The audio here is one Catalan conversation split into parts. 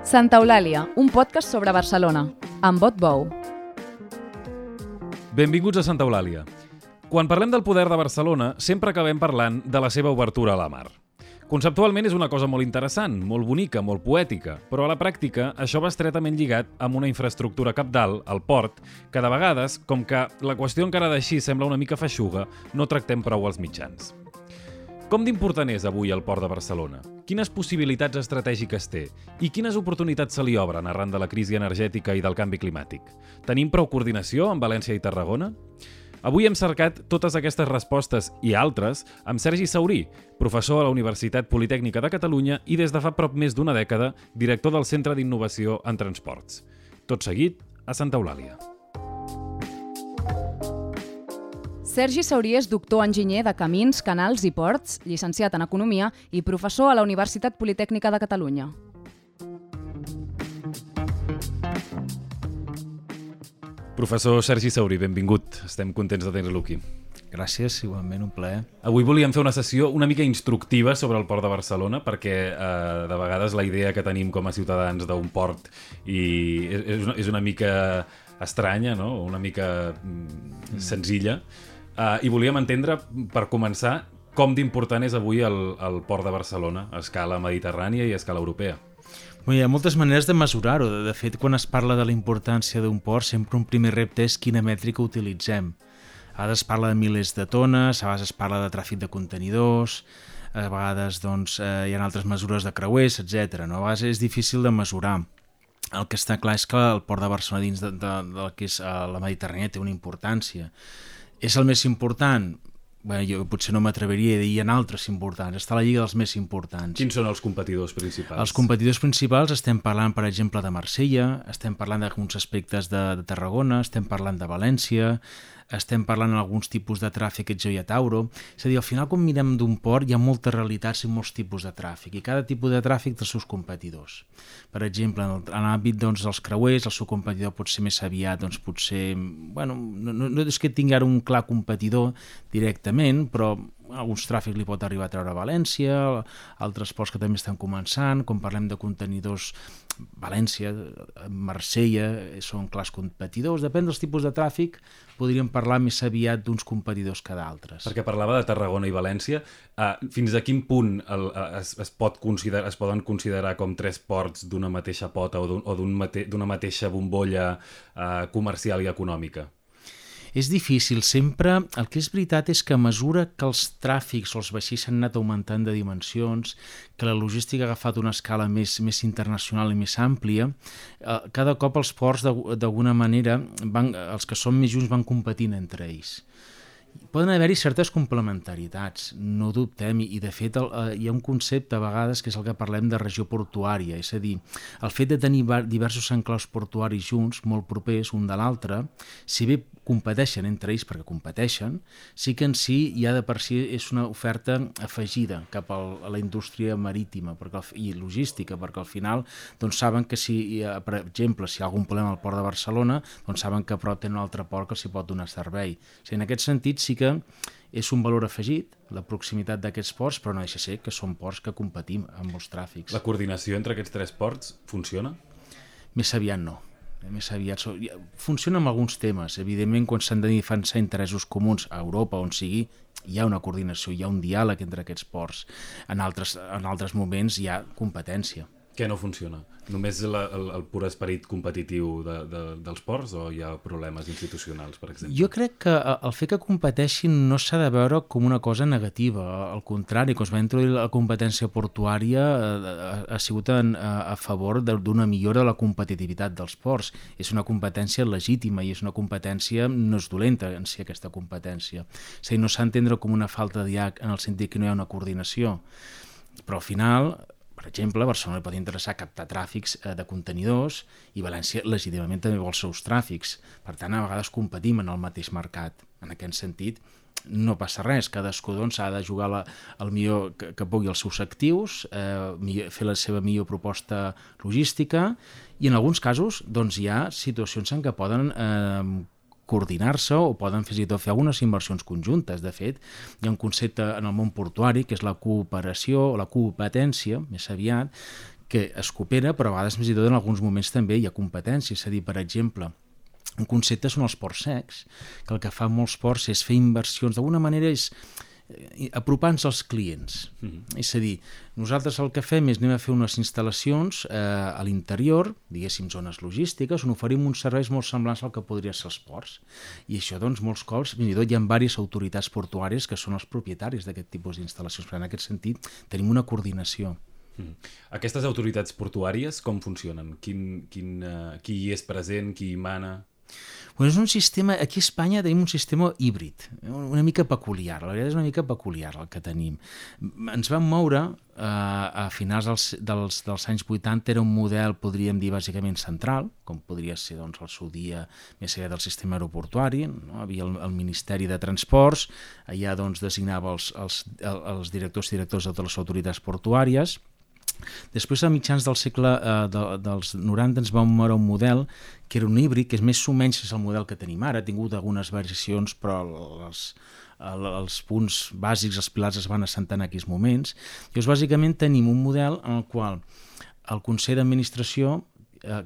Santa Eulàlia, un podcast sobre Barcelona, amb Bot Bou. Benvinguts a Santa Eulàlia. Quan parlem del poder de Barcelona, sempre acabem parlant de la seva obertura a la mar. Conceptualment és una cosa molt interessant, molt bonica, molt poètica, però a la pràctica això va estretament lligat amb una infraestructura cabdal, el port, que de vegades, com que la qüestió encara d'així sembla una mica feixuga, no tractem prou als mitjans. Com d'important és avui el port de Barcelona? Quines possibilitats estratègiques té? I quines oportunitats se li obren arran de la crisi energètica i del canvi climàtic? Tenim prou coordinació amb València i Tarragona? Avui hem cercat totes aquestes respostes i altres amb Sergi Saurí, professor a la Universitat Politècnica de Catalunya i des de fa prop més d'una dècada director del Centre d'Innovació en Transports. Tot seguit, a Santa Eulàlia. Sergi Saurí és doctor enginyer de Camins, Canals i Ports, llicenciat en Economia i professor a la Universitat Politècnica de Catalunya. Professor Sergi Saurí, benvingut. Estem contents de tenir-lo aquí. Gràcies, igualment, un plaer. Avui volíem fer una sessió una mica instructiva sobre el port de Barcelona perquè de vegades la idea que tenim com a ciutadans d'un port és una mica estranya, no? Una mica senzilla. I volíem entendre, per començar, com d'important és avui el port de Barcelona a escala mediterrània i a escala europea. Hi ha moltes maneres de mesurar-ho. De fet, quan es parla de la importància d'un port, sempre un primer repte és quina mètrica utilitzem. A vegades es parla de milers de tones, a vegades es parla de tràfic de contenidors, a vegades hi ha altres mesures de creuers, etc. A vegades és difícil de mesurar. El que està clar és que el port de Barcelona dins del que és la Mediterrània té una importància. És el més important? Bé, jo potser no m'atreviria a dir, hi ha altres importants. Està a la lliga dels més importants. Quins són els competidors principals? Els competidors principals estem parlant, per exemple, de Marsella, estem parlant d'alguns aspectes de Tarragona, estem parlant de València, estem parlant d'alguns tipus de tràfic que jo i a Tauro. És a dir, al final, quan mirem d'un port, hi ha moltes realitats i molts tipus de tràfic, i cada tipus de tràfic té els seus competidors. Per exemple, en l'àmbit dels creuers, el seu competidor pot ser més aviat, potser... no és que tingui ara un clar competidor directament, però alguns tràfics li pot arribar a treure a València, altres ports que també estan començant, quan parlem de contenidors, València, Marsella, són clars competidors, depèn dels tipus de tràfic, podríem parlar més aviat d'uns competidors que d'altres. Perquè parlava de Tarragona i València, fins a quin punt es poden considerar com tres ports d'una mateixa pota o d'una mateixa bombolla comercial i econòmica? És difícil. Sempre el que és veritat és que a mesura que els tràfics o els vaixells s'han anat augmentant de dimensions, que la logística ha agafat una escala més internacional i més àmplia, cada cop els ports d'alguna manera, els que són més junts van competint entre ells. Poden haver-hi certes complementaritats, no dubtem, i de fet hi ha un concepte a vegades que és el que parlem de regió portuària, és a dir, el fet de tenir diversos enclaus portuaris junts, molt propers un de l'altre, si bé competeixen entre ells perquè competeixen, sí que en si ja de per si és una oferta afegida cap a la indústria marítima i logística, perquè al final saben que per exemple, si hi ha algun problema al port de Barcelona, saben que a prop tenen un altre port que els hi pot donar servei. En aquest sentit sí que és un valor afegit, la proximitat d'aquests ports, però no deixa ser que són ports que competim amb molts tràfics. La coordinació entre aquests tres ports funciona? Més aviat no. Més aviat funciona amb alguns temes. Evidentment, quan s'han de defensar interessos comuns a Europa, on sigui, hi ha una coordinació, hi ha un diàleg entre aquests ports. En altres moments hi ha competència. Què no funciona? Només el pur esperit competitiu dels ports o hi ha problemes institucionals, per exemple? Jo crec que el fet que competeixin no s'ha de veure com una cosa negativa. Al contrari, quan es va introduir la competència portuària ha sigut a favor d'una millora de la competitivitat dels ports. És una competència legítima i és una competència, no és dolenta en si aquesta competència. És a dir, no s'ha d'entendre com una falta de diàleg en el sentit que no hi ha una coordinació. Però al final... Per exemple, a Barcelona li pot interessar captar tràfics de contenidors i València legítimament també vol els seus tràfics. Per tant, a vegades competim en el mateix mercat. En aquest sentit, no passa res. Cadascú ha de jugar el millor que pugui els seus actius, fer la seva millor proposta logística i en alguns casos hi ha situacions en què poden coordinar-se o poden fins i tot fer algunes inversions conjuntes. De fet, hi ha un concepte en el món portuari que és la cooperació o la competència, més aviat, que es coopera, però a vegades, més i tot, en alguns moments també hi ha competència. És a dir, per exemple, un concepte són els ports secs, que el que fan molts ports és fer inversions, d'alguna manera és apropar-nos als clients. És a dir, nosaltres el que fem és anem a fer unes instal·lacions a l'interior, diguéssim zones logístiques, on oferim uns serveis molt semblants al que podria ser els ports. I això, doncs, molts cops, fins i tot hi ha diverses autoritats portuàries que són els propietaris d'aquest tipus d'instal·lacions. Però en aquest sentit tenim una coordinació. Aquestes autoritats portuàries com funcionen? Qui hi és present, qui hi mana? Bueno, és un sistema, aquí a Espanya tenim un sistema híbrid, una mica peculiar, la veritat és una mica peculiar el que tenim. Ens vam moure a finals dels anys 80, era un model, podríem dir, bàsicament central, com podria ser doncs, el seu dia més enllà del sistema aeroportuari, no? Havia el Ministeri de Transports, allà doncs, designava els directors i directors de totes les autoritats portuàries. Després, a mitjans del segle dels 90, ens vam moure un model que era un híbrid, que és més o menys el model que tenim ara. Ha tingut algunes variacions, però els punts bàsics, els pilars es van assentar en aquells moments. Llavors, bàsicament, tenim un model en el qual el Consell d'Administració,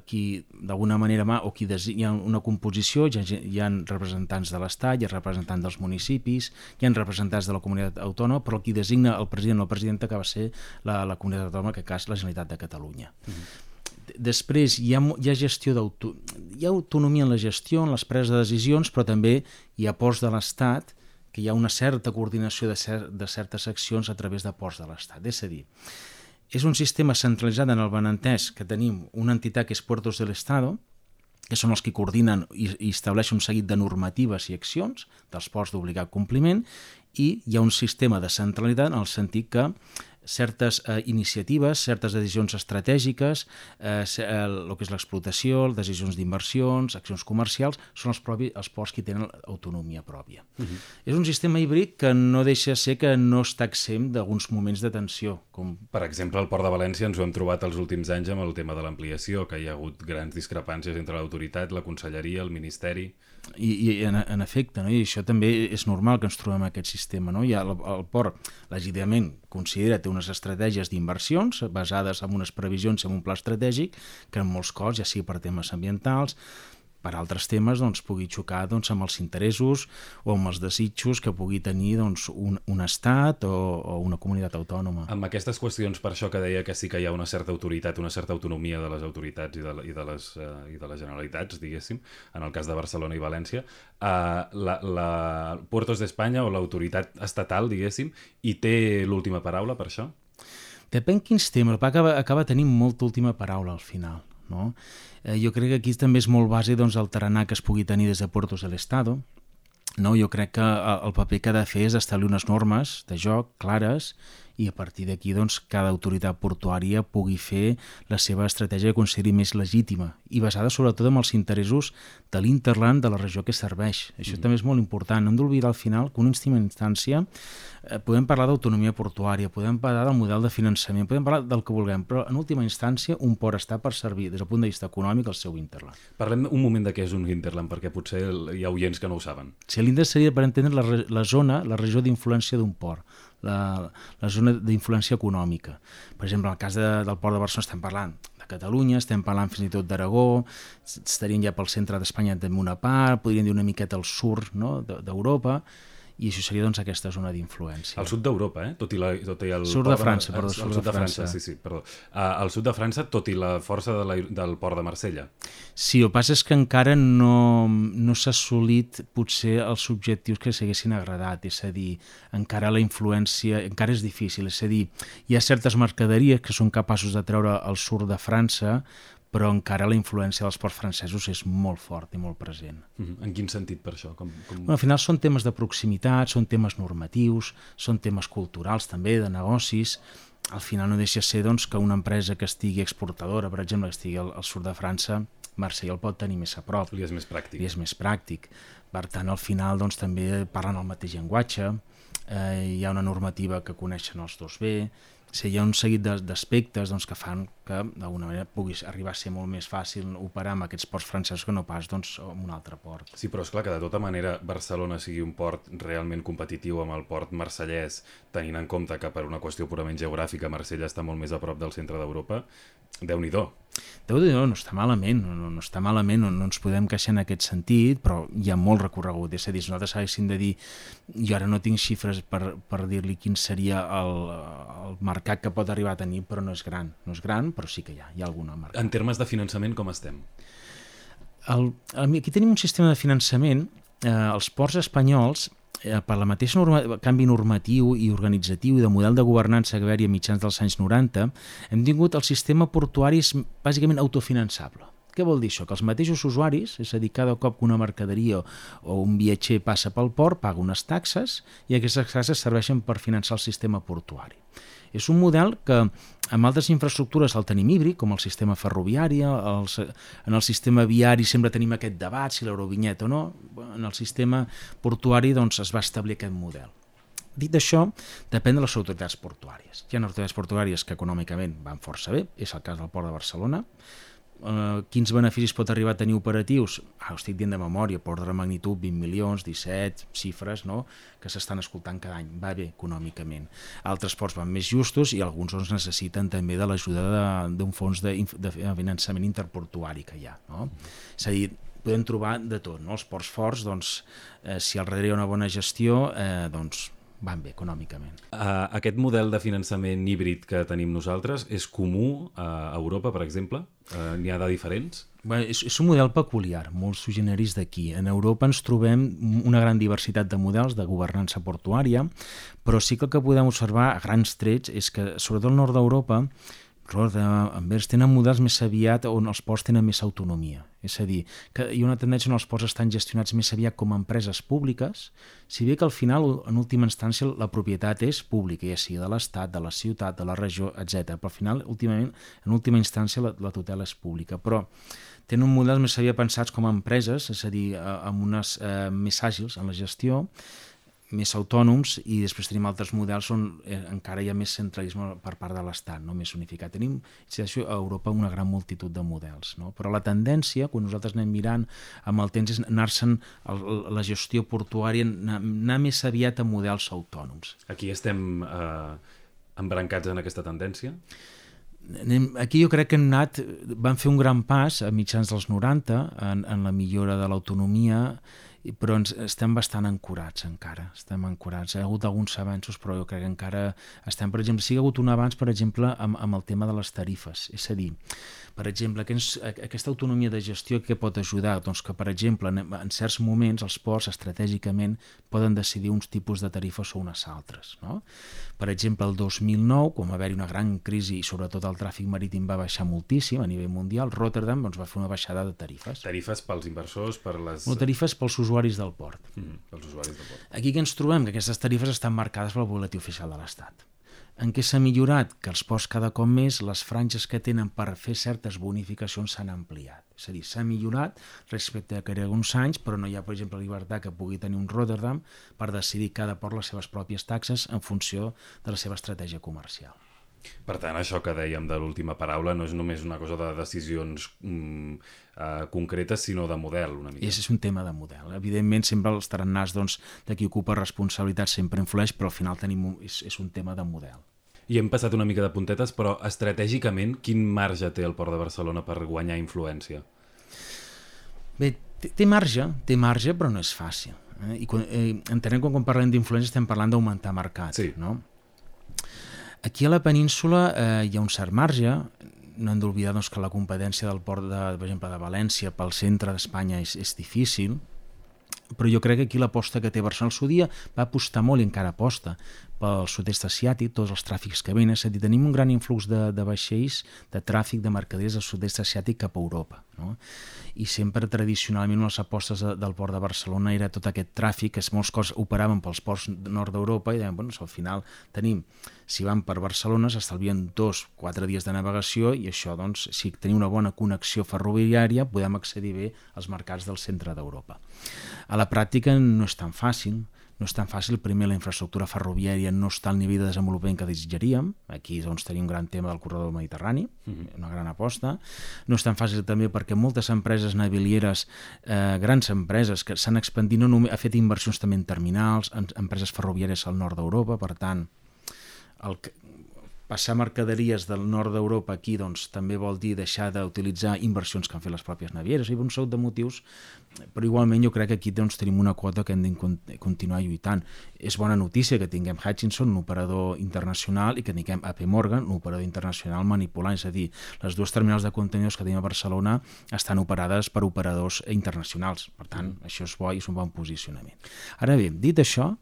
qui d'alguna manera hi ha una composició, hi ha representants de l'Estat, hi ha representants dels municipis, hi ha representants de la comunitat autònoma, però qui designa el president o la presidenta que va ser la comunitat autònoma, que és la Generalitat de Catalunya. Després hi ha gestió hi ha autonomia en la gestió, en les preses de decisions, però també hi ha ports de l'Estat, que hi ha una certa coordinació de certes accions a través de ports de l'Estat. És a dir, és un sistema centralitzat en el benentès que tenim una entitat que és Puertos del Estado, que són els que coordinen i estableixen un seguit de normatives i accions dels ports d'obligat compliment, i hi ha un sistema de centralitat en el sentit que certes iniciatives, certes decisions estratègiques, el que és l'explotació, decisions d'inversions, accions comercials, són els ports que tenen autonomia pròpia. És un sistema híbrid que no deixa ser que no està exempt d'alguns moments de tensió. Per exemple, al Port de València ens ho hem trobat els últims anys amb el tema de l'ampliació, que hi ha hagut grans discrepàncies entre l'autoritat, la conselleria, el ministeri. I en efecte, no? I això també és normal que ens trobem aquest sistema. No? El port, legítimament, considera té unes estratègies d'inversions basades en unes previsions, en un pla estratègic, que en molts casos, ja sigui per temes ambientals, per altres temes, doncs, pugui xocar amb els interessos o amb els desitjos que pugui tenir un estat o una comunitat autònoma. Amb aquestes qüestions, per això que deia que sí que hi ha una certa autoritat, una certa autonomia de les autoritats i de les generalitats, diguéssim, en el cas de Barcelona i València, la Puertos d'Espanya o l'autoritat estatal, diguéssim, hi té l'última paraula per això? Depèn quins temes, acaba tenint molta última paraula al final. No? Jo crec que aquí també és molt bàsic el tarannà que es pugui tenir des de Puertos del Estado. No? Jo crec que el paper que ha de fer és establir unes normes de joc clares i a partir d'aquí cada autoritat portuària pugui fer la seva estratègia que consideri més legítima i basada sobretot en els interessos de l'Interland de la regió que serveix. Això també és molt important. No hem d'oblidar al final que una última instància podem parlar d'autonomia portuària, podem parlar del model de finançament, podem parlar del que vulguem, però en última instància un port està per servir des del punt de vista econòmic al seu Interland. Parlem un moment de què és un Hinterland, perquè potser hi ha oients que no ho saben. Sí, l'Hinterland seria per entendre la zona, la regió d'influència d'un port, la zona d'influència econòmica. Per exemple, en el cas del port de Barcelona estem parlant de Catalunya, estem parlant fins i tot d'Aragó, estarien ja pel centre d'Espanya també una part, podríem dir una miqueta al sud, no? d'Europa, i això seria aquesta zona d'influència. Al sud d'Europa, tot i el... Sud de França, perdó. Al sud de França, sí, perdó. Al sud de França, tot i la força del port de Marsella. Sí, el que passa és que encara no s'ha assolit potser els objectius que s'haguessin agradat, és a dir, encara la influència encara és difícil, és a dir, hi ha certes mercaderies que són capaços de treure al sud de França, però encara la influència dels ports francesos és molt fort i molt present. En quin sentit per això? Al final són temes de proximitat, són temes normatius, són temes culturals també, de negocis. Al final no deixa ser que una empresa que estigui exportadora, per exemple, que estigui al sud de França, Marsella el pot tenir més a prop. Li és més pràctic. Li és més pràctic. Per tant, al final també parlen el mateix llenguatge, hi ha una normativa que coneixen els dos bé, hi ha un seguit d'aspectes que fan que d'alguna manera pugui arribar a ser molt més fàcil operar amb aquests ports francesos que no pas amb un altre port. Sí, però és clar que de tota manera Barcelona sigui un port realment competitiu amb el port marsellès, tenint en compte que per una qüestió purament geogràfica Marsella està molt més a prop del centre d'Europa, Déu-n'hi-do. Déu-n'hi-do, no està malament, no està malament, no ens podem queixar en aquest sentit, però hi ha molt recorregut. És a dir, si nosaltres haguéssim de dir, jo ara no tinc xifres per dir-li quin seria el mercat que pot arribar a tenir, però no és gran, però sí que hi ha alguna mercat. En termes de finançament, com estem? Aquí tenim un sistema de finançament, els ports espanyols, per la mateixa canvi normatiu i organitzatiu i de model de governança que va haver-hi a mitjans dels anys 90, hem tingut el sistema portuari bàsicament autofinançable. Què vol dir això? Que els mateixos usuaris, és a dir, cada cop que una mercaderia o un viatger passa pel port, paga unes taxes i aquestes taxes serveixen per finançar el sistema portuari. És un model que amb altres infraestructures el tenim híbrid, com el sistema ferroviari, en el sistema viari sempre tenim aquest debat, si l'eurovinyeta o no, en el sistema portuari es va establir aquest model. Dit això, depèn de les autoritats portuàries. Hi ha autoritats portuàries que econòmicament van força bé, és el cas del Port de Barcelona. Quins beneficis pot arribar a tenir operatius? Ho estic dient de memòria, per ordre de magnitud, 20 milions, 17, xifres, no?, que s'estan escoltant cada any. Va bé econòmicament. Altres ports van més justos i alguns necessiten també de l'ajuda d'un fons de finançament interportuari que hi ha, no? És a dir, podem trobar de tot, no? Els ports forts, si al darrere hi ha una bona gestió, van bé econòmicament. Aquest model de finançament híbrid que tenim nosaltres és comú a Europa, per exemple? N'hi ha de diferents? Bé, és un model peculiar, molt sui generis d'aquí. En Europa ens trobem una gran diversitat de models de governança portuària, però sí que el que podem observar a grans trets és que, sobretot al nord d'Europa, tenen models més aviat on els ports tenen més autonomia. És a dir, que hi ha una tendència on els ports estan gestionats més aviat com a empreses públiques, si bé que al final, en última instància, la propietat és pública, ja sigui de l'Estat, de la ciutat, de la regió, etc. Però al final, en última instància, la tutela és pública. Però tenen models més aviat pensats com a empreses, és a dir, amb unes més àgils en la gestió, més autònoms, i després tenim altres models on encara hi ha més centralisme per part de l'Estat, no? Més unificat. Tenim a Europa una gran multitud de models, no? Però la tendència, quan nosaltres anem mirant amb el temps, és anar-se'n la gestió portuària, anar més aviat a models autònoms. Aquí estem embrancats en aquesta tendència? Aquí jo crec que van fer un gran pas a mitjans dels 90 en la millora de l'autonomia, però estem bastant ancorats encara, Hi ha hagut alguns avanços, però jo crec que encara estem, per exemple, sí que ha hagut un avanç, per exemple, amb el tema de les tarifes, és a dir, per exemple, aquesta autonomia de gestió que pot ajudar, que per exemple en certs moments els ports estratègicament poden decidir uns tipus de tarifes o unes altres, no? Per exemple, el 2009, quan va haver-hi una gran crisi i sobretot el tràfic marítim va baixar moltíssim a nivell mundial, Rotterdam va fer una baixada de tarifes. Tarifes pels inversors, per les... No, tarifes pels usuaris del port. Pels usuaris del port. Aquí que ens trobem? Que aquestes tarifes estan marcades pel boletí oficial de l'Estat. En què s'ha millorat? Que els ports cada cop més, les franges que tenen per fer certes bonificacions s'han ampliat. És a dir, s'ha millorat respecte a que era uns anys, però no hi ha, per exemple, llibertat que pugui tenir un Rotterdam per decidir cada port les seves pròpies taxes en funció de la seva estratègia comercial. Per tant, això que dèiem de l'última paraula no és només una cosa de decisions concretes, sinó de model, una mica. És un tema de model. Evidentment, sempre els tarannàs de qui ocupa responsabilitat sempre influeix, però al final és un tema de model. I hem passat una mica de puntetes, però estratègicament, quin marge té el Port de Barcelona per guanyar influència? Bé, té marge, però no és fàcil. Entenem que quan parlem d'influència estem parlant d'augmentar mercat, sí, no? Aquí a la península hi ha un cert marge, no hem d'oblidar que la competència del port, per exemple, de València pel centre d'Espanya és difícil, però jo crec que aquí l'aposta que té Barcelona al seu dia va apostar molt i encara aposta pel sud-est asiàtic, tots els tràfics que venen, és a dir, tenim un gran influx de vaixells, de tràfic de mercaderies del sud-est asiàtic cap a Europa, no? I sempre tradicionalment les apostes del port de Barcelona era tot aquest tràfic que molts cops operaven pels ports nord d'Europa i deien, al final tenim, si van per Barcelona s'estalvien 2-4 dies de navegació i això, si tenim una bona connexió ferroviària podem accedir bé als mercats del centre d'Europa. A la pràctica no és tan fàcil, no és tan fàcil. Primer, la infraestructura ferroviària no està al nivell de desenvolupament que desitjaríem. Aquí doncs, tenim un gran tema del corredor mediterrani, una gran aposta. No és tan fàcil també perquè moltes empreses navilieres, grans empreses que s'han expandit, no només, ha fet inversions també en terminals, en empreses ferroviàries al nord d'Europa, per tant, passar mercaderies del nord d'Europa aquí doncs, també vol dir deixar d'utilitzar inversions que han fet les pròpies navieres. Hi ha un seguit de motius, però igualment jo crec que aquí doncs, tenim una quota que hem de continuar lluitant. És bona notícia que tinguem Hutchison, un operador internacional, i que tinguem AP Morgan, un operador internacional manipulant. És a dir, les dues terminals de contenidors que tenim a Barcelona estan operades per operadors internacionals. Per tant, això és bo i és un bon posicionament. Ara bé, dit això,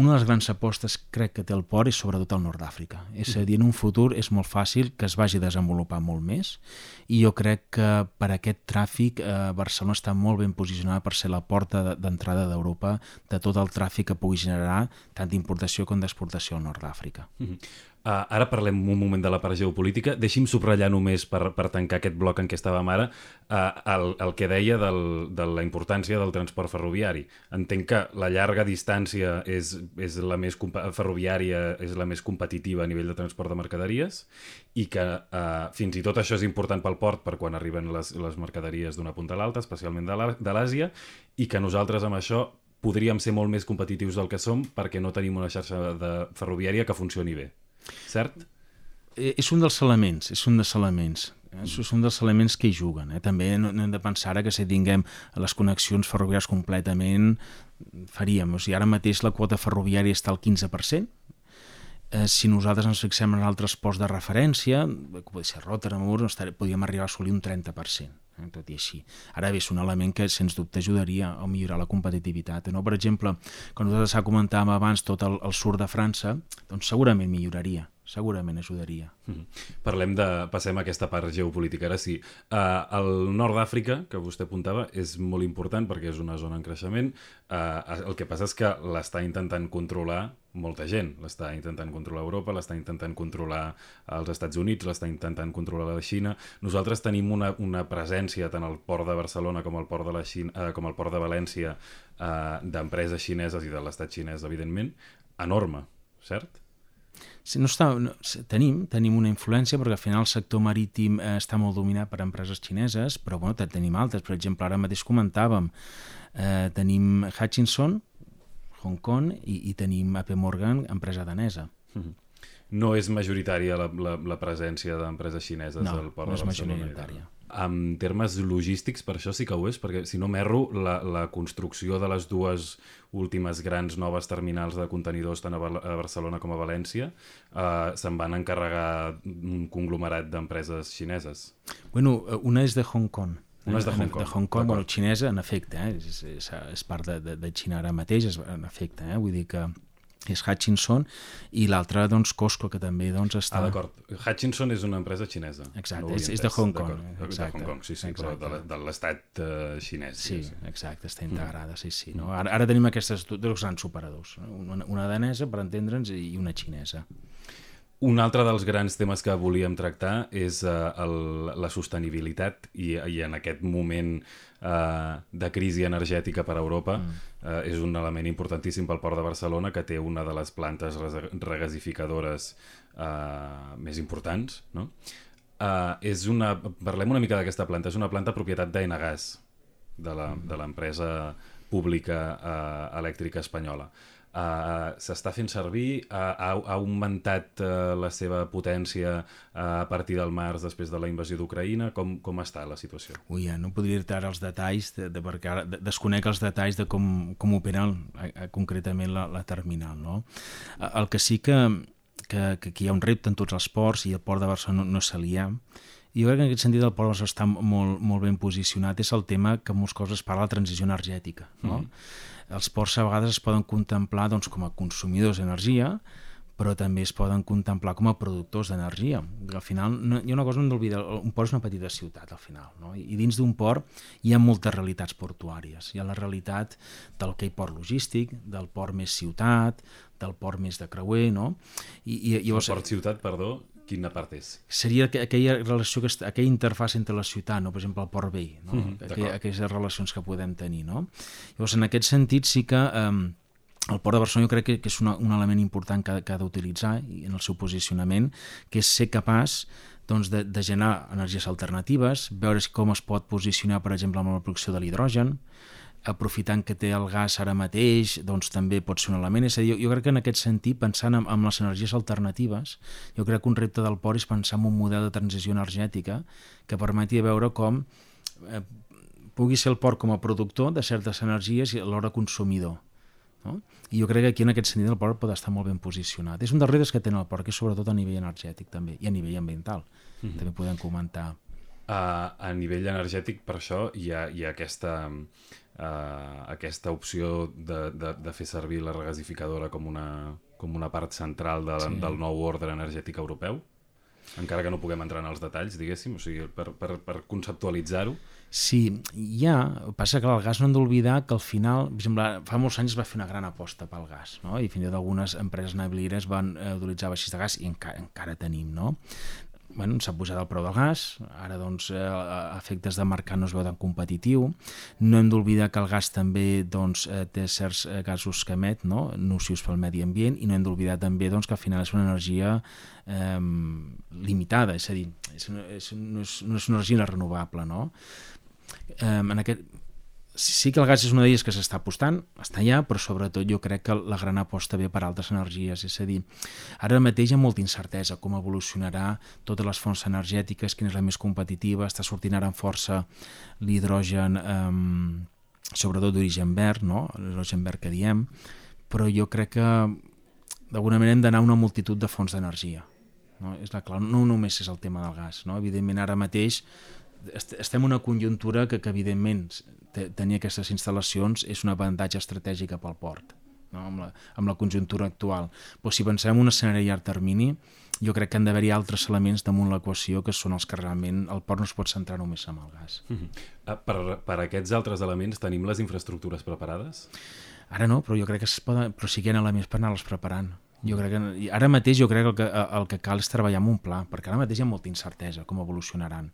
una de les grans apostes crec que té el port és sobretot el nord d'Àfrica. És a dir, en un futur és molt fàcil que es vagi a desenvolupar molt més i jo crec que per aquest tràfic Barcelona està molt ben posicionada per ser la porta d'entrada d'Europa de tot el tràfic que pugui generar tant d'importació com d'exportació al nord d'Àfrica. Ara parlem un moment de la part geopolítica. Deixi'm subratllar només per tancar aquest bloc en què estàvem ara el que deia de la importància del transport ferroviari. Entenc que la llarga distància és la més ferroviària, és la més competitiva a nivell de transport de mercaderies i que fins i tot això és important pel port per quan arriben les mercaderies d'una punta a l'altra, especialment de l'Àsia, i que nosaltres amb això podríem ser molt més competitius del que som perquè no tenim una xarxa ferroviària que funcioni bé. Cert? És un dels elements, és un dels elements que hi juguen. També no hem de pensar ara que si tinguem les connexions ferroviàries completament faríem. O sigui, ara mateix la quota ferroviària està al 15%. Si nosaltres ens fixem en altres ports de referència, que pot ser Rotterdam, podríem arribar a assolir un 30%. Tot i així. Ara bé, és un element que sens dubte ajudaria a millorar la competitivitat. No? Per exemple, quan nosaltres comentàvem abans tot el sud de França, doncs segurament milloraria, segurament ajudaria. Passem a aquesta part geopolítica. Ara sí, el nord d'Àfrica, que vostè apuntava, és molt important perquè és una zona en creixement. El que passa és que l'està intentant controlar molta gent. L'està intentant controlar Europa, l'està intentant controlar els Estats Units, l'està intentant controlar la Xina. Nosaltres tenim una presència tant al port de Barcelona com al port de la Xina, com al port de València d'empreses xineses i de l'estat xinès, evidentment, enorme, cert? Sí, tenim una influència perquè al final el sector marítim està molt dominat per empreses xineses, però bueno, tenim altres. Per exemple, ara mateix comentàvem, tenim Hutchison, Hong Kong i tenim AP Morgan, empresa danesa. No és majoritària la presència d'empreses xineses al port de Barcelona? No és majoritària. En termes logístics, per això sí que ho és, perquè si no m'erro, la construcció de les dues últimes grans noves terminals de contenidors tant a Barcelona com a València se'n van encarregar un conglomerat d'empreses xineses. Bueno, una és de Hong Kong. Una és de Hong Kong. De Hong Kong, bueno, xinesa, en efecte, és part de Xina ara mateix, en efecte, vull dir que és Hutchison, i l'altra, doncs, Costco, que també està... d'acord. Hutchison és una empresa xinesa. Exacte, és de Hong Kong. De Hong Kong, sí, però de l'estat xinès. Sí, exacte, està integrada, sí. No? Ara tenim aquestes dos grans operadors, una danesa, per entendre'ns, i una xinesa. Un altre dels grans temes que volíem tractar és la sostenibilitat i en aquest moment de crisi energètica per a Europa és un element importantíssim pel Port de Barcelona, que té una de les plantes regasificadores més importants. No? Parlem una mica d'aquesta planta. És una planta propietat d'Enagas, de l'empresa pública elèctrica espanyola. S'està fent servir, ha augmentat la seva potència a partir del març després de la invasió d'Ucraïna. Com està la situació? Ui, no podria dir ara els detalls, perquè ara desconec els detalls de com opera concretament la terminal. No? El que sí que hi ha un repte en tots els ports, i el port de Barcelona no se li ha. I jo crec que en aquest sentit el port està molt ben posicionat. És el tema que molts cops es parla de transició energètica. No? Els ports a vegades es poden contemplar com a consumidors d'energia, però també es poden contemplar com a productors d'energia. Al final, hi ha una cosa que no hem d'oblidar, un port és una petita ciutat, al final, no? I dins d'un port hi ha moltes realitats portuàries. Hi ha la realitat del que hi port logístic, del port més ciutat, del port més de creuer, no? El port-ciutat, perdó, quina part és? Seria aquella relació, aquella interfàcia entre la ciutat, no? Per exemple, el port vell, no? Aquelles relacions que podem tenir. No? Llavors, en aquest sentit, sí que el Port de Barcelona jo crec que és un element important que ha d'utilitzar en el seu posicionament, que és ser capaç de generar energies alternatives, veure com es pot posicionar, per exemple, amb la producció de l'hidrogen, aprofitant que té el gas ara mateix, doncs també pot ser un element. És a dir, jo crec que en aquest sentit, pensant en les energies alternatives, jo crec que un repte del port és pensar en un model de transició energètica que permeti veure com pugui ser el port com a productor de certes energies i alhora consumidor. No? I jo crec que aquí en aquest sentit el port pot estar molt ben posicionat. És un dels reptes que té el port, que és sobretot a nivell energètic també, i a nivell ambiental. També podem comentar. A nivell energètic, per això, hi ha aquesta opció de fer servir la regasificadora com una part central del nou ordre energètic europeu, encara que no puguem entrar en els detalls, diguéssim, o sigui, per conceptualitzar-ho. Sí, passa que el gas no hem d'oblidar que al final, per exemple, fa molts anys es va fer una gran aposta pel gas, no? I fins i tot algunes empreses navileres van utilitzar vaixells de gas i encara tenim, no? Bueno, s'ha pujat el preu del gas, ara doncs a efectes de mercat no es veu tan competitiu. No hem d'oblidar que el gas també doncs, té certs gasos que emet, no? Nocius pel medi ambient, i no hem d'oblidar també doncs, que al final és una energia limitada, és a dir, no és una energia renovable, no? Sí que el gas és una d'elles que s'està apostant, està allà, però sobretot jo crec que la gran aposta ve per altres energies, és a dir, ara mateix hi ha molta incertesa com evolucionarà totes les fonts energètiques, quina és la més competitiva, està sortint ara amb força l'hidrogen, sobretot d'origen verd, no? L'hidrogen verd que diem, però jo crec que d'alguna manera hem d'anar a una multitud de fonts d'energia, no? És la clau, no només és el tema del gas, no? Evidentment ara mateix estem en una conjuntura que evidentment tenir aquestes instal·lacions és un avantatge estratègic pel port, no? Amb la conjuntura actual. Però si pensem en un escenari a llarg termini, jo crec que han d'haver-hi altres elements damunt l'equació que són els que realment el port no es pot centrar només en el gas. Per aquests altres elements tenim les infraestructures preparades? Ara no, però jo crec que però sí que hi ha elements per anar-les preparant. Jo crec que, ara mateix jo crec que el que cal és treballar amb un pla, perquè ara mateix hi ha molta incertesa com evolucionaran.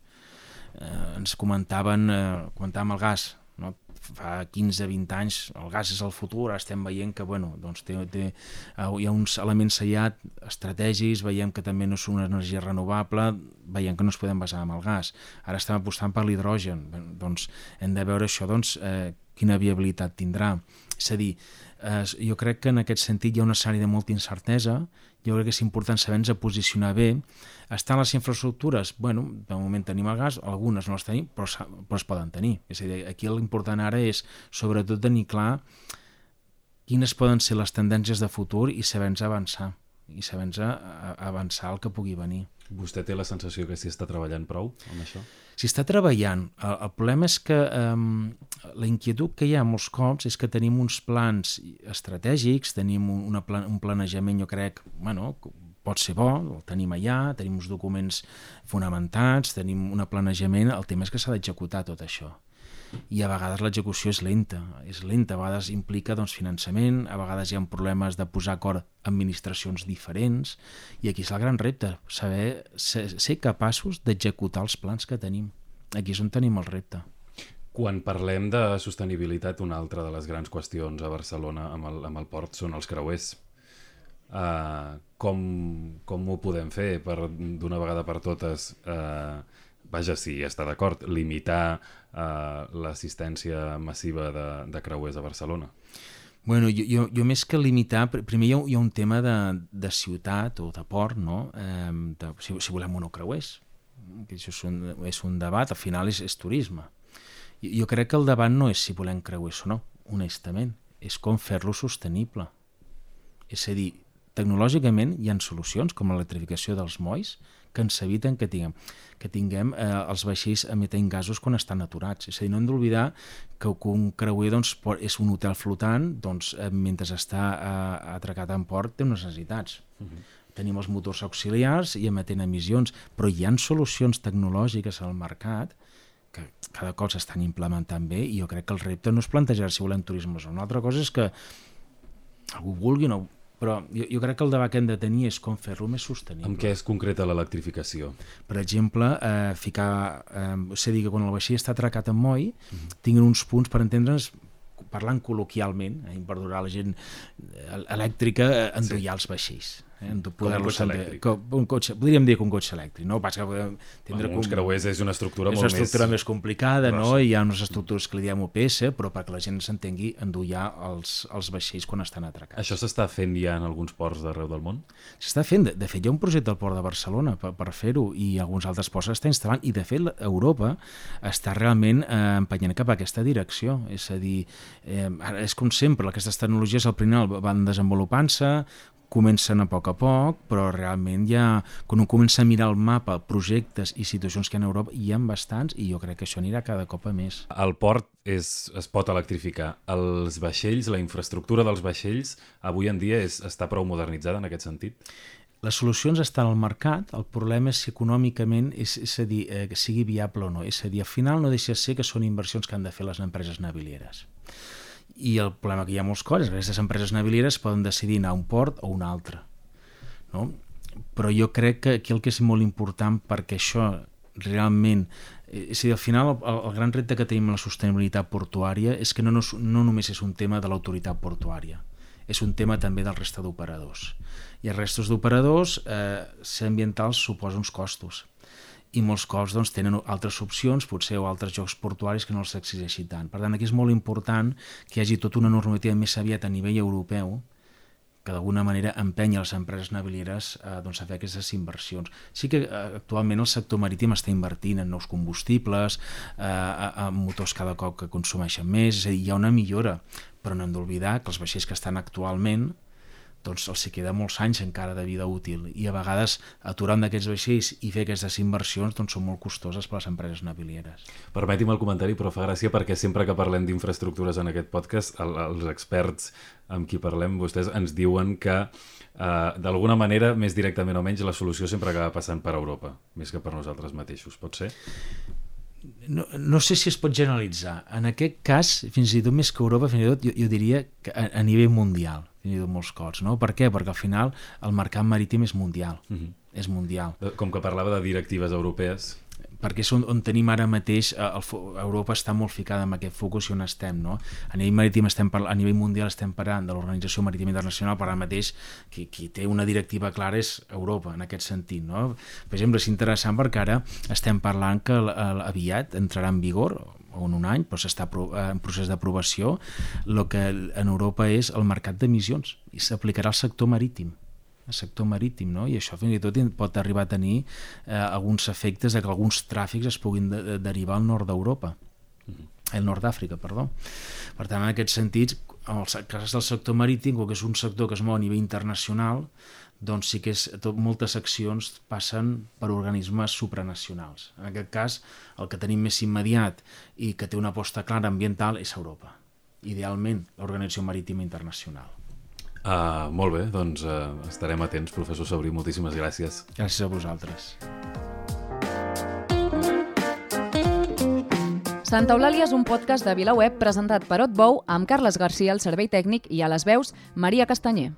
Ens comentàvem el gas, no? Fa 15-20 anys el gas és el futur, ara estem veient que doncs hi ha uns elements allà estratègics, veiem que també no és una energia renovable, veiem que no es podem basar en el gas, ara estem apostant per l'hidrogen, doncs hem de veure això, quina viabilitat tindrà. És a dir, jo crec que en aquest sentit hi ha una sèrie de molta incertesa, jo crec que és important saber-nos posicionar bé. Estan les infraestructures? De moment tenim el gas, algunes no les tenim, però es poden tenir. És a dir, aquí l'important ara és sobretot tenir clar quines poden ser les tendències de futur i saber-nos avançar, i saber-nos avançar el que pugui venir. Vostè té la sensació que s'hi està treballant prou amb això? S'hi està treballant. El problema és que la inquietud que hi ha molts cops és que tenim uns plans estratègics, tenim un planejament, jo crec, pot ser bo, el tenim allà, tenim uns documents fonamentats, tenim un planejament, el tema és que s'ha d'executar tot això. I a vegades l'execució és lenta, a vegades implica finançament, a vegades hi ha problemes de posar acord administracions diferents, i aquí és el gran repte, ser capaços d'executar els plans que tenim. Aquí és on tenim el repte. Quan parlem de sostenibilitat, una altra de les grans qüestions a Barcelona amb el port són els creuers. Com ho podem fer d'una vegada per totes, si està d'acord, limitar l'assistència massiva de creuers a Barcelona? Jo més que limitar, primer hi ha un tema de ciutat o de port, no? Si volem o no creuers, que això és un debat, al final és turisme. Jo crec que el debat no és si volem creuers o no, honestament, és com fer-lo sostenible. És a dir, tecnològicament hi ha solucions com l'electrificació dels molls que ens eviten que tinguem els vaixells emetent gasos quan estan aturats. És a dir, no hem d'oblidar que un creuer és un hotel flotant, mentre està atracat en port té unes necessitats. Tenim els motors auxiliars i emetent emissions, però hi ha solucions tecnològiques al mercat que cada cop s'estan implementant bé, i jo crec que el repte no és plantejar si volem turisme o no. Una altra cosa és que algú vulgui o no, però jo crec que el debat que hem de tenir és com fer-lo més sostenible. En què es concreta l'electrificació? Per exemple, és a dir, que quan el vaixell està atracat en moll, tinguin uns punts, per entendre'ns, parlant col·loquialment, perdurà la gent elèctrica, endollar els vaixells. Com un cotxe elèctric. Podríem dir que un cotxe elèctric, no? Pas que podem entendre uns creuers és una estructura molt més complicada, no? Hi ha unes estructures que li diem OPS, però perquè la gent s'entengui, endollar els vaixells quan estan atracats. Això s'està fent ja en alguns ports d'arreu del món? S'està fent. De fet, hi ha un projecte al Port de Barcelona per fer-ho i alguns altres ports s'està instal·lant i, de fet, Europa està realment empenyent cap a aquesta direcció. És a dir, ara és com sempre, aquestes tecnologies al final van desenvolupant-se, comencen a poc, però realment ja, quan un comença a mirar el mapa, projectes i situacions que hi ha a Europa, hi ha bastants i jo crec que això anirà cada cop a més. El port es pot electrificar. Els vaixells, la infraestructura dels vaixells, avui en dia està prou modernitzada en aquest sentit? Les solucions estan al mercat, el problema és si econòmicament és a dir, que sigui viable o no. És a dir, al final no deixa de ser que són inversions que han de fer les empreses navilieres. I el problema que hi ha molts cops és que aquestes empreses navilieres poden decidir anar a un port o a un altre. No? Però jo crec que aquí el que és molt important perquè això realment... És a dir, al final el gran repte que tenim en la sostenibilitat portuària és que no només és un tema de l'autoritat portuària, és un tema també del resta d'operadors. I els restos d'operadors, ser ambientals suposa uns costos. I molts cops tenen altres opcions, potser o altres jocs portuaris que no els exigeixi tant. Per tant, aquí és molt important que hi hagi tota una normativa més aviat a nivell europeu que d'alguna manera empenya les empreses navilieres a fer aquestes inversions. Sí que actualment el sector marítim està invertint en nous combustibles, en motors cada cop que consumeixen més, és a dir, hi ha una millora, però no hem d'oblidar que els vaixells que estan actualment els hi queda molts anys encara de vida útil i a vegades aturar un d'aquests vaixells i fer aquestes inversions són molt costoses per a les empreses navilieres. Permeti'm el comentari, però fa gràcia perquè sempre que parlem d'infraestructures en aquest podcast, els experts amb qui parlem, vostès ens diuen que d'alguna manera, més directament o menys, la solució sempre acaba passant per Europa, més que per nosaltres mateixos. Pot ser? No sé si es pot generalitzar. En aquest cas, fins i tot més que Europa, fins i tot jo diria que a nivell mundial, fins i tot molts cops, no? Per què? Perquè al final el mercat marítim és mundial. És mundial. Com que parlava de directives europees... Perquè és on tenim ara mateix, Europa està molt ficada en aquest focus i on estem, no? A nivell marítim a nivell mundial estem parlant de l'Organització Marítima Internacional, però ara mateix qui té una directiva clara és Europa, en aquest sentit, no? Per exemple, és interessant perquè ara estem parlant que aviat entrarà en vigor, o en un any, però s'està en procés d'aprovació, el que en Europa és el mercat d'emissions, i s'aplicarà al sector marítim. No? I això fins i tot pot arribar a tenir alguns efectes de que alguns tràfics es puguin derivar al nord d'Europa, al nord d'Àfrica, perdó. Per tant, en aquest sentit, en el cas del sector marítim, que és un sector que es mou a nivell internacional, doncs sí que moltes accions passen per organismes supranacionals. En aquest cas, el que tenim més immediat i que té una aposta clara ambiental és Europa. Idealment, l'Organització Marítima Internacional. Molt bé, doncs estarem atents, professor Sabrí, moltíssimes gràcies. Gràcies a vosaltres. Santa Eulàlia és un podcast de VilaWeb presentat per Otbou amb Carles Garcia al servei tècnic i a les veus Maria Castanyer.